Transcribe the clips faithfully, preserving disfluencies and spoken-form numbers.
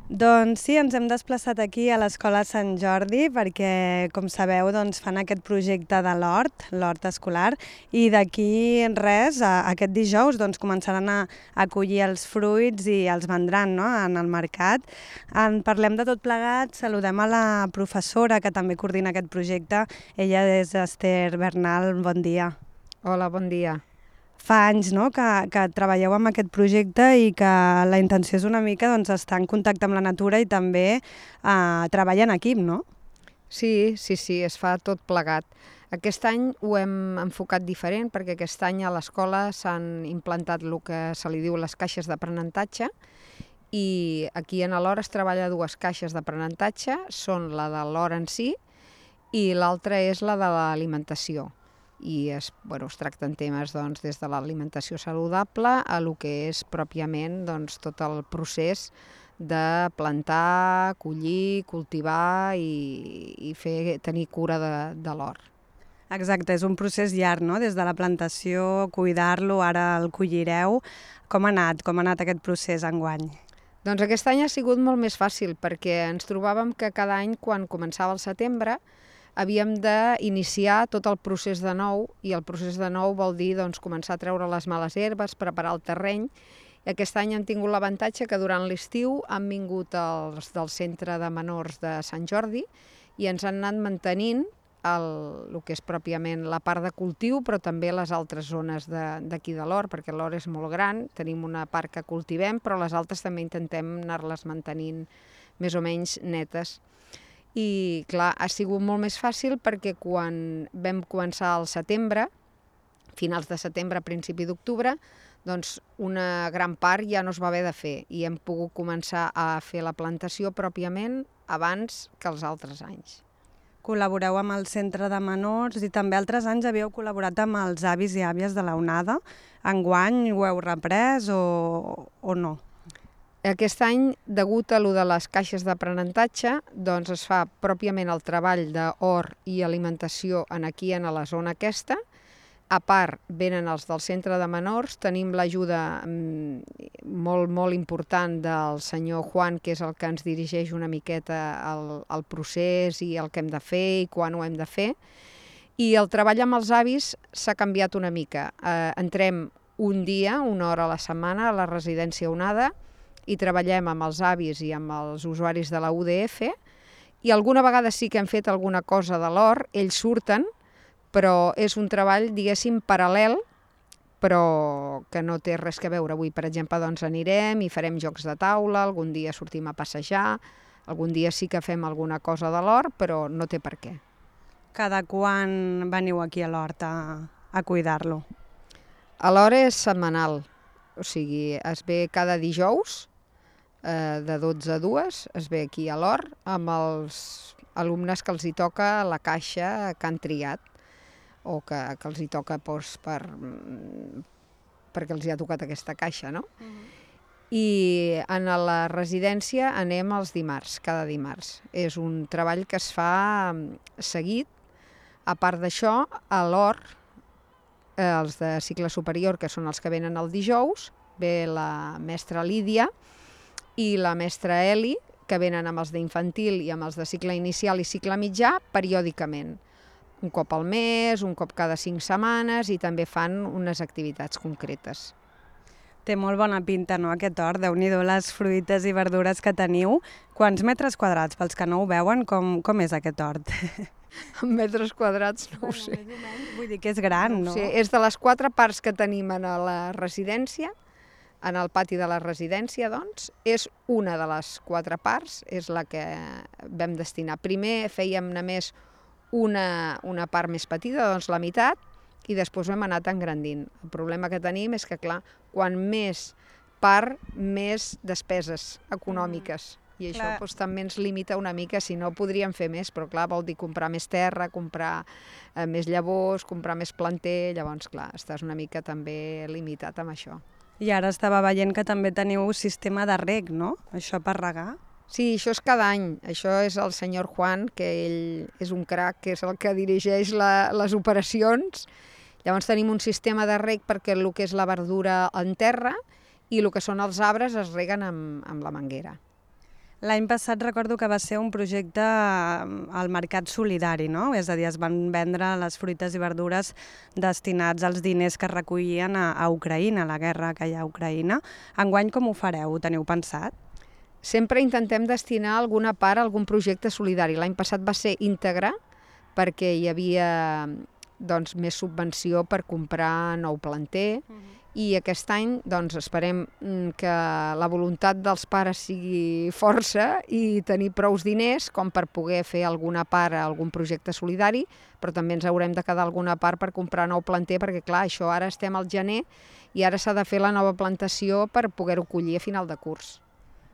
Doncs sí, ens hem desplaçat aquí a l'Escola Sant Jordi perquè, com sabeu, doncs, fan aquest projecte de l'hort, l'hort escolar, i d'aquí res, a, aquest dijous, doncs, començaran a, a collir els fruits i els vendran, no?, en el mercat. En parlem de tot plegat, saludem a la professora que també coordina aquest projecte. Ella és Esther Bernal, bon dia. Hola, bon dia. Fa anys, no?, que, que treballeu amb aquest projecte i que la intenció és una mica, doncs, estar en contacte amb la natura i també eh, treballar en equip, no? Sí, sí, sí, es fa tot plegat. Aquest any ho hem enfocat diferent perquè aquest any a l'escola s'han implantat el que se li diu les caixes d'aprenentatge i aquí en l'hora es treballa dues caixes d'aprenentatge, són la de l'hora en si i l'altra és la de l'alimentació. I es, bueno, es tracten temes doncs, des de l'alimentació saludable a el que és pròpiament doncs, tot el procés de plantar, collir, cultivar i, i fer, tenir cura de, de l'hort. Exacte, és un procés llarg, no?, des de la plantació, cuidar-lo, ara el collireu. Com ha anat? Com ha anat aquest procés enguany? Doncs aquest any ha sigut molt més fàcil perquè ens trobàvem que cada any quan començava el setembre havíem d'iniciar tot el procés de nou i el procés de nou vol dir doncs, començar a treure les males herbes, preparar el terreny. I aquest any hem tingut l'avantatge que durant l'estiu han vingut els del centre de menors de Sant Jordi i ens han anat mantenint el, el que és pròpiament la part de cultiu, però també les altres zones d'aquí de, de l'hort, perquè l'hort és molt gran, tenim una part que cultivem, però les altres també intentem anar-les mantenint més o menys netes. I clar, ha sigut molt més fàcil perquè quan vam començar al setembre, finals de setembre, principi d'octubre, doncs una gran part ja no es va haver de fer i hem pogut començar a fer la plantació pròpiament abans que els altres anys. Col·laboreu amb el centre de menors i també altres anys havíeu col·laborat amb els avis i àvies de la onada. Enguany ho heu reprès o, o no? Aquest any, degut a lo de les caixes d'aprenentatge, doncs es fa pròpiament el treball d'hort i alimentació en aquí, en la zona aquesta. A part, venen els del centre de menors, tenim l'ajuda molt, molt important del senyor Juan, que és el que ens dirigeix una miqueta al, al procés i el que hem de fer i quan ho hem de fer. I el treball amb els avis s'ha canviat una mica. Eh, entrem un dia, una hora a la setmana, a la residència Onada, i treballem amb els avis i amb els usuaris de la U D F, i alguna vegada sí que hem fet alguna cosa de l'hort, ells surten, però és un treball, diguéssim, paral·lel, però que no té res a veure. Avui, per exemple, doncs anirem i farem jocs de taula, algun dia sortim a passejar, algun dia sí que fem alguna cosa de l'hort, però no té per què. Cada quan veniu aquí a l'hort a, a cuidar-lo? A l'hora és setmanal, o sigui, es ve cada dijous, de dotze a dues, es ve aquí a l'hort amb els alumnes que els hi toca la caixa que han triat o que, que els hi toca doncs, per, perquè els hi ha tocat aquesta caixa, no? Uh-huh. I en la residència anem els dimarts, cada dimarts. És un treball que es fa seguit. A part d'això, a l'hort, els de cicle superior, que són els que venen el dijous, ve la mestra Lídia i la mestra Eli, que venen amb els d'infantil i amb els de cicle inicial i cicle mitjà, periòdicament. Un cop al mes, un cop cada cinc setmanes, i també fan unes activitats concretes. Té molt bona pinta, no, aquest hort? Déu-n'hi-do les fruites i verdures que teniu. Quants metres quadrats, pels que no ho veuen, com, com és aquest hort? En metres quadrats no bueno, ho sé. Vull dir que és gran, no? no? Sí, és de les quatre parts que tenim a la residència, en el pati de la residència, doncs, és una de les quatre parts, és la que vam destinar. Primer fèiem només una, una part més petita, doncs la meitat, i després ho hem anat engrandint. El problema que tenim és que, clar, quan més part, més despeses econòmiques. I això doncs, també ens limita una mica, si no podríem fer més, però clar, vol dir comprar més terra, comprar eh, més llavors, comprar més planter, llavors, clar, estàs una mica també limitat amb això. I ara estava veient que també teniu un sistema de reg, no? Això per regar? Sí, això és cada any. Això és el senyor Juan, que ell és un crac, que és el que dirigeix la, les operacions. Llavors tenim un sistema de reg perquè el que és la verdura en terra i el que són els arbres es reguen amb, amb la manguera. L'any passat recordo que va ser un projecte al mercat solidari, no? És a dir, es van vendre les fruites i verdures destinats als diners que es recollien a, a Ucraïna, a la guerra que hi ha a Ucraïna. Enguany com ho fareu? Ho teniu pensat? Sempre intentem destinar alguna part a algun projecte solidari. L'any passat va ser íntegre perquè hi havia doncs, més subvenció per comprar nou planter, uh-huh. I aquest any doncs, esperem que la voluntat dels pares sigui força i tenir prous diners com per poder fer alguna part a algun projecte solidari, però també ens haurem de quedar alguna part per comprar nou planter, perquè clar, això ara estem al gener i ara s'ha de fer la nova plantació per poder-ho collir a final de curs.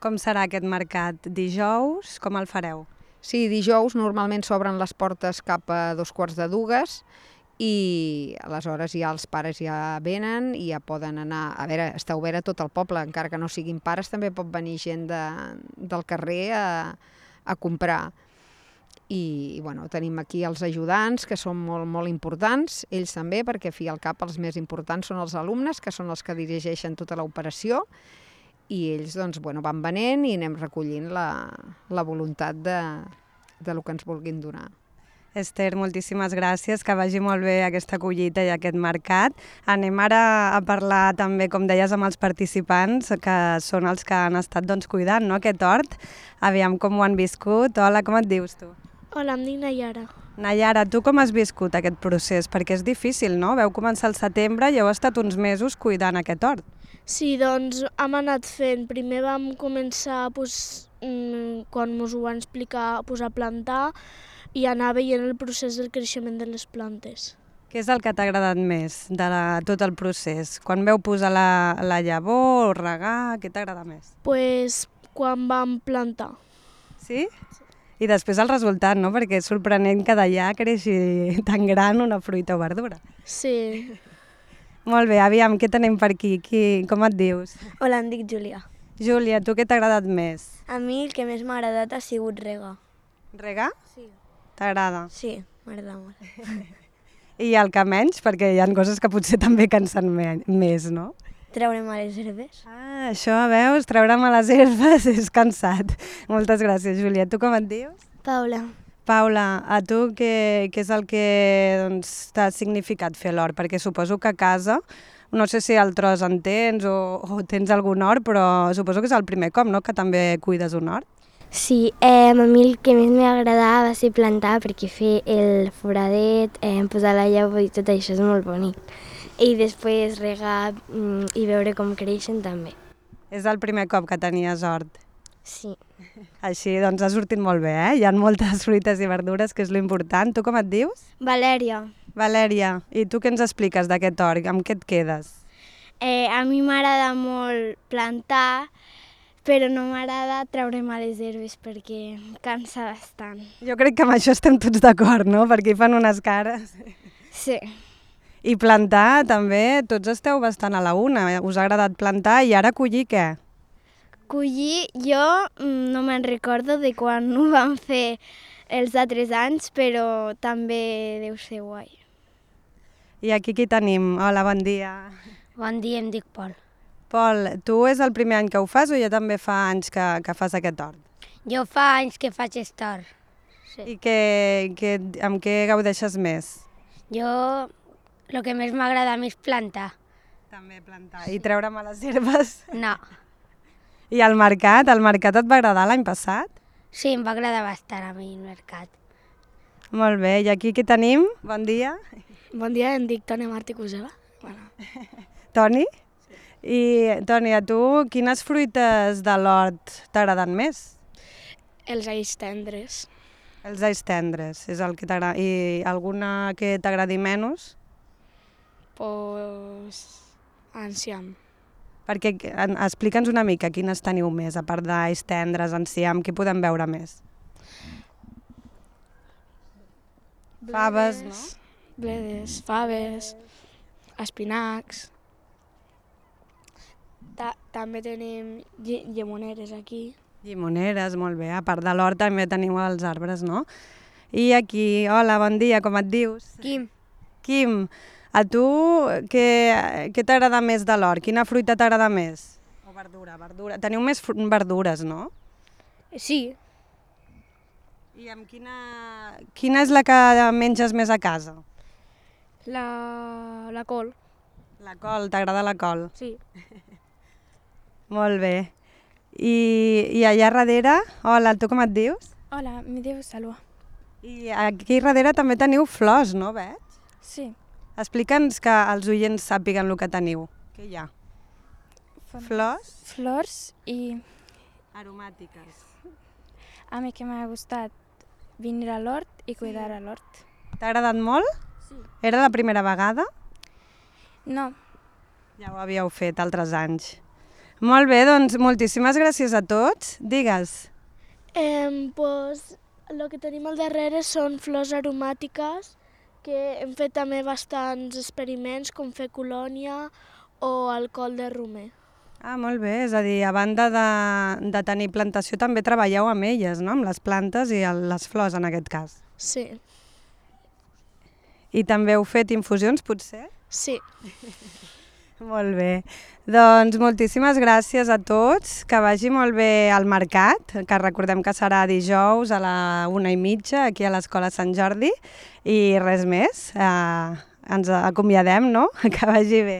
Com serà aquest mercat? Dijous, com el fareu? Sí, dijous normalment s'obren les portes cap a dos quarts de dues i aleshores ja els pares ja venen i ja poden anar. A veure, està obert a tot el poble, encara que no siguin pares, també pot venir gent de, del carrer a, a comprar. I, i bueno, tenim aquí els ajudants, que són molt, molt importants, ells també, perquè fi al cap els més importants són els alumnes, que són els que dirigeixen tota l'operació, i ells doncs, bueno, van venent i anem recollint la, la voluntat de, de lo que ens vulguin donar. Esther, moltíssimes gràcies, que vagi molt bé aquesta collita i aquest mercat. Anem ara a parlar també, com deies, amb els participants, que són els que han estat doncs, cuidant, no?, aquest hort. Aviam com ho han viscut. Hola, com et dius tu? Hola, em dic Nayara. Nayara, tu com has viscut aquest procés? Perquè és difícil, no? Veu començar al setembre i heu estat uns mesos cuidant aquest hort. Sí, doncs hem anat fent. Primer vam començar, pues, quan ens ho van explicar, pues, a plantar, i anar veient el procés del creixement de les plantes. Què és el que t'ha agradat més de la, tot el procés? Quan veu posar la, la llavor o regar, què t'agrada més? Pues quan vam plantar. Sí? I després el resultat, no? Perquè és sorprenent que d'allà creixi tan gran una fruita o verdura. Sí. Molt bé, aviam, què tenim per aquí? Qui, com et dius? Hola, em dic Júlia. Júlia, tu què t'ha agradat més? A mi el que més m'ha agradat ha sigut regar. Regar? Sí. T'agrada? Sí, m'agrada molt. I el que menys? Perquè hi ha coses que potser també cansen més, no? Treure males herbes. Ah, això, veus? Treure males herbes és cansat. Moltes gràcies, Júlia. Tu com et dius? Paula. Paula, a tu què, què és el que doncs, t'ha significat fer l'hort? Perquè suposo que a casa, no sé si el tros en tens o, o tens algun hort, però suposo que és el primer cop, no?, que també cuides un hort. Sí, eh, a mi el que més m'agradava va ser plantar, perquè fer el foradet, eh, posar la llavor i tot això és molt bonic. I després regar mm, i veure com creixen també. És el primer cop que tenies hort? Sí. Així, doncs ha sortit molt bé, eh? Hi ha moltes fruites i verdures, que és l'important. Tu com et dius? Valèria. Valèria, i tu què ens expliques d'aquest hort? Amb què et quedes? Eh, a mi m'agrada molt plantar, però no m'agrada treure males herbes perquè em cansa bastant. Jo crec que amb això estem tots d'acord, no? Perquè hi fan unes cares. Sí. I plantar també, tots esteu bastant a la una. Us ha agradat plantar i ara collir què? Collir, jo no me'n recordo de quan ho vam fer els altres anys, però també deu ser guai. I aquí qui tenim? Hola, bon dia. Bon dia, em dic Pol. Pol, tu és el primer any que ho fas o ja també fa anys que, que fas aquest hort? Jo fa anys que faig aquest hort. Sí. I que, que, amb què gaudeixes més? Jo, el que més m'agrada a mi és plantar. També plantar. I treure males herbes? No. I el mercat? El mercat et va agradar l'any passat? Sí, em va agradar bastant a mi el mercat. Molt bé, i aquí qui tenim? Bon dia. Bon dia, em dic Toni Martí Cusela. Bueno. Toni? I, Toni, a tu quines fruites de l'hort t'agraden més? Els alls tendres. Els alls tendres, és el que t'agrada. I alguna que t'agradi menys? Pues... enciam. Perquè explica'ns una mica quines teniu més, a part d'alls tendres, enciam, què podem veure més? Bledes, faves, no? Bledes, faves, espinacs. Ta també tenim lle llemoneres aquí. Llimoneres, molt bé. A part de l'hort també teniu els arbres, no? I aquí, hola, bon dia, com et dius? Quim. Quim, a tu què, què t'agrada més de l'hort? Quina fruita t'agrada més? O verdura, verdura. Teniu més verdures, no? Sí, I amb quina... Quina és la que menges més a casa? la, la col, La col, t'agrada la col? sí. Molt bé. I, I allà darrere, hola, tu com et dius? Hola, me diu Salwa. I aquí darrere també teniu flors, no, veig? Sí. Explica'ns que els oients sàpiguen el que teniu. Què hi ha? Flors? Flors i Aromàtiques. a mi que m'ha gustat venir a l'hort i cuidar a l'hort. T'ha agradat molt? Sí. Era la primera vegada? No, Ja ho havíeu fet altres anys. Molt bé, doncs moltíssimes gràcies a tots. Digues. Eh, pues, el que tenim al darrere són flors aromàtiques que hem fet també bastants experiments com fer colònia o alcohol de romer. Ah, molt bé, és a dir, a banda de, de tenir plantació també treballeu amb elles, no? Amb les plantes i el, les flors en aquest cas. Sí, I també heu fet infusions, potser? sí. Molt bé. Doncs moltíssimes gràcies a tots, que vagi molt bé al mercat, que recordem que serà dijous a la una i mitja aquí a l'Escola Sant Jordi i res més, eh, ens acomiadem, no? Que vagi bé.